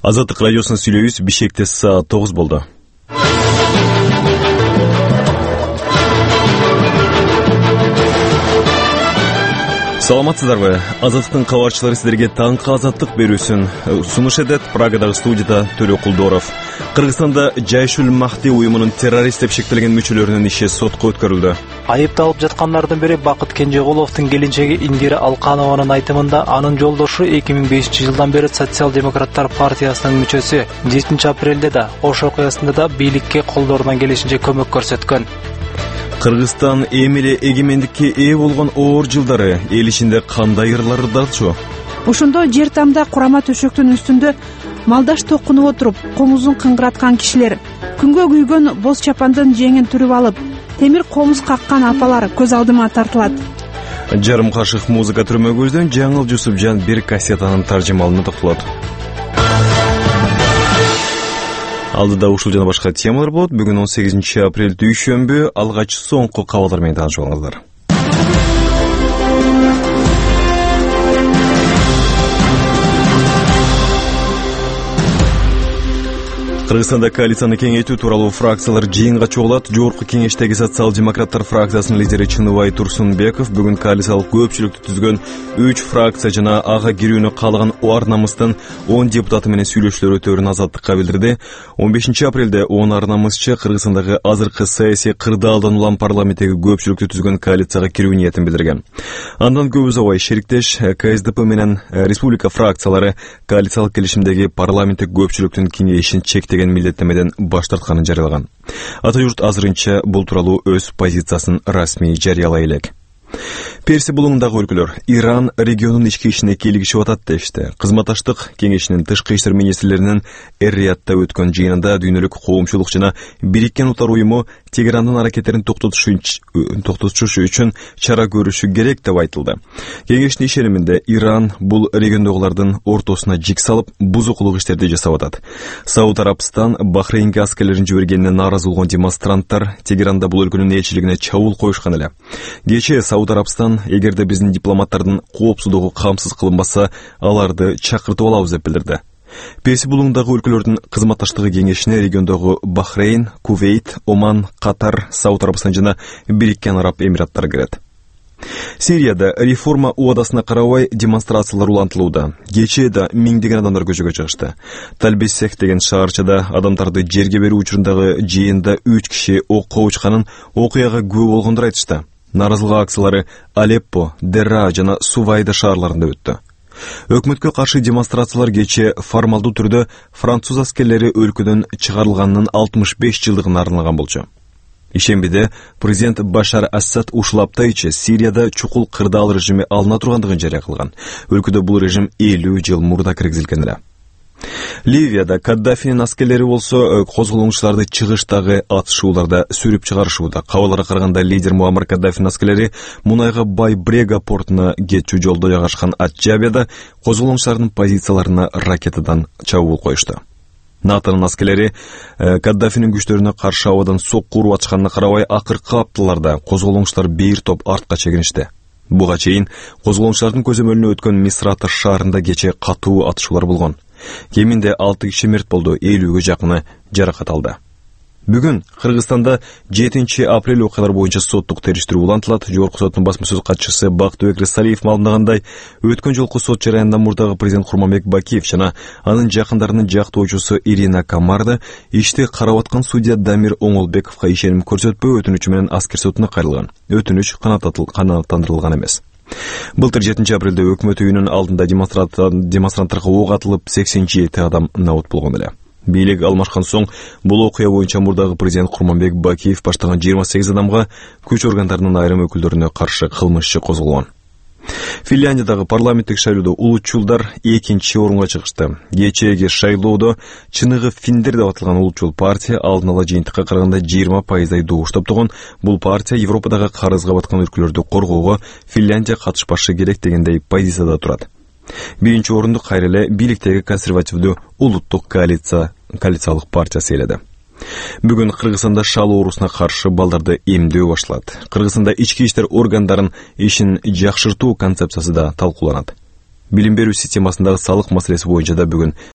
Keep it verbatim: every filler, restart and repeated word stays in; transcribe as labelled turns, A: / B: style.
A: Азаттык радиосуна сүйлөйбүз. Бишкекте саат тогуз болду. Саламатсыздарбы? Азаттыктын кабарчылары сиздерге таңкы азаттык берүүсүн сунуш этет. Прагадагы студияда Төлө Кулдоров. Кыргызстанда Жайшул Махди уюмунун террорист деп шектелген мүчөлөрүнүн иши сотко өткөрүлдү.
B: Айыпталып жаткандардын бири Бакыт Кенжеголовдун келинчеги Индира Алканованын айтымында анын жолдошу эки миң бешинчи жылдан бери Социал-демократтар партиясынын мүчөсү. жетинчи апрелде да Ош окуясында да бийликке колдорунан келишинче көмөк көрсөткөн.
A: Кыргызстан эми эле эгемендикке ээ болгон оор жылдары эл ичинде кандай ырлардачу?
C: Ошондо жер тамда курама төшөктүн үстүндө малдаш токунуп отуруп, комузун кыңгыраткан кишилер, күнгө күйгөн боз чапандын жеңин түрүп алып, темир комуз каккан апалар көз алдыма тартылат.
A: Жарым кашык музыка түрмөгүбүздөн Жаңыл Жусупжан бир кассетанын таржымалына токтолот. Алдыда ушул жана башка темалар болот. Бүгүн он сегизинчи апрель дүйшөмбү. Алгач соңку кабарлар менен таанышып алыңыздар. Кыргызстанда коалицияны кеңейтүү тууралуу фракциялар жыйынга чогулат. Жогорку кеңештеги социал-демократтар фракциясынын лидери Чыныбай Турсунбеков бүгүн коалициялык көпчүлүктү түзгөн үч фракция жана ага кирүүнү каалаган Ар намыстын он депутаты менен сүйлөшүүлөр өтөөрүн Азаттыкка билдирди. он бешинчи апрелде он Ар намысчы Кыргызстандагы азыркы саясий кырдаалдан улам парламенттеги көпчүлүктү түзгөн коалицияга кирүү ниетин билдирген. Андан көп узабай шериктеш КСДП менен республика фракциялары коалициялык келишимдеги парламенттик көпчүлүктүн кеңейишин чектеген милдеттемеден баш тартканын жарыялаган. Ата журт азырынча бул тууралуу өз позициясын расмий жарыялай элек. Перси булуңундагы өлкөлөр Иран регионунун ички ишине кийлигишип атат дешти. Кызматташтык кеңешинин тышкы иштер министрлеринин Эр-Риядда өткөн жыйынында дүйнөлүк коомчулук жана Бириккен Улуттар уюму Тегерандын аракеттерин токтотуш үчүн чара көрүшү керек деп айтылды. Кеңештин ишениминде Иран бул региондогулардын ортосуна жик салып, бузукулук иштерди жасап атат. Сауд Арабстан Бахрейнге аскерлерин жибергенине нааразы болгон демонстранттар Тегеранда бул өлкөнүн элчилигине чабуул коюшкан эле. Кечээ Сауд Арабстан эгерде биздин дипломаттардын коопсуздугу камсыз кылынбаса, аларды чакыртып алабыз деп билдирди. Перси булуңундагы өлкөлөрдүн кызматташтыгы кеңешине региондогу Бахрейн, Кувейт, Оман, Катар, Сауд Арабстан жана Бириккен Араб Эмираттары кирет. Сирияда реформа убадасына карабай демонстрациялар улантылууда. Кечээ да миңдеген адамдар көчөгө чыгышты. Талбессех деген шаарчада адамдарды жерге берүү учурундагы жыйында үч киши окко учканын окуяга күбө болгондор айтышты. Наразылык акциялары Алеппо, Дерра жана Сувайда шаарларында өттү. Өкмөткө каршы демонстрациялар кечээ формалдуу түрдө француз аскерлери өлкөдөн чыгарылганынын алтымыш беш жылдыгына арналган болчу. Ишембиде президент Башар Асад ушул апта ичи Сирияда чукул кырдаал режими алына тургандыгын жарыя кылган. Өлкөдө бул режим элүү жыл мурда киргизилген эле. Ливияда Каддафинин аскерлери болсо козголоңчуларды чыгыштагы атышууларда сүрүп чыгарышууда. Кабарларга караганда лидер Муаммар Каддафинин аскерлери мунайга бай Брега портуна кетчү жолдо жайгашкан Атжабияда козголоңчулардын позицияларына ракетадан чабуул коюшту. НАТОнун аскерлери Каддафинин күчтөрүнө каршы абадан сокку уруп атышканына карабай акыркы апталарда козголоңчулар бир топ артка чегиништи. Буга чейин козголоңчулардын көзөмөлүнө өткөн Мисрата шаарында кечээ катуу атышуулар болгон. Кеминде алты киши мерт болду, элүүгө жакыны жаракат алды. Бүгүн Кыргызстанда жетинчи апрель окуялар боюнча соттук териштирүү улантылат. Жогорку соттун басма сөз катчысы Бактыбек Рысалиев маалымдагандай, өткөн жолку сот жараяндан мурдагы президент Курманбек Бакиев жана анын жакындарынын жактоочусу Ирина Камарда ишти карап аткан судья Дамир Оңолбековго ишеним көрсөтпөө өтүнүчү менен аскер сотуна кайрылган. Өтүнүч канааттандырылган эмес. Былтыр жетинчи апрелде өкмөт үйүнүн алдында демонстранттарга ок атылып сексен жети адам набут болгон эле. Бийлик алмашкан соң бул окуя боюнча мурдагы президент Курманбек Бакиев баштаган жыйырма сегиз адамга күч органдарынын айрым өкүлдөрүнө каршы кылмыш иши козголгон. Финляндиядагы парламенттик шайлоодо улутчулдар экинчи орунга чыгышты. Кечээги шайлоодо чыныгы финдер деп аталган улутчул партия алдын ала жыйынтыкка караганда жыйырма пайыздай добуш топтогон. Бул партия Европадагы карызга баткан өлкөлөрдү коргоого Финляндия катышпашы керек дегендей позицияда турат. Биринчи орунду кайра эле бийликтеги консервативдүү улуттук коалиция коалициялык партиясы ээледи. Бүгүн Кыргызстанда шал оорусуна каршы балдарды эмдөө башталат. Кыргызстанда ички иштер органдарын ишин жакшыртуу концепциясы да талкууланат. Билим берүү системасындагы салык маселеси боюнча да бүгүн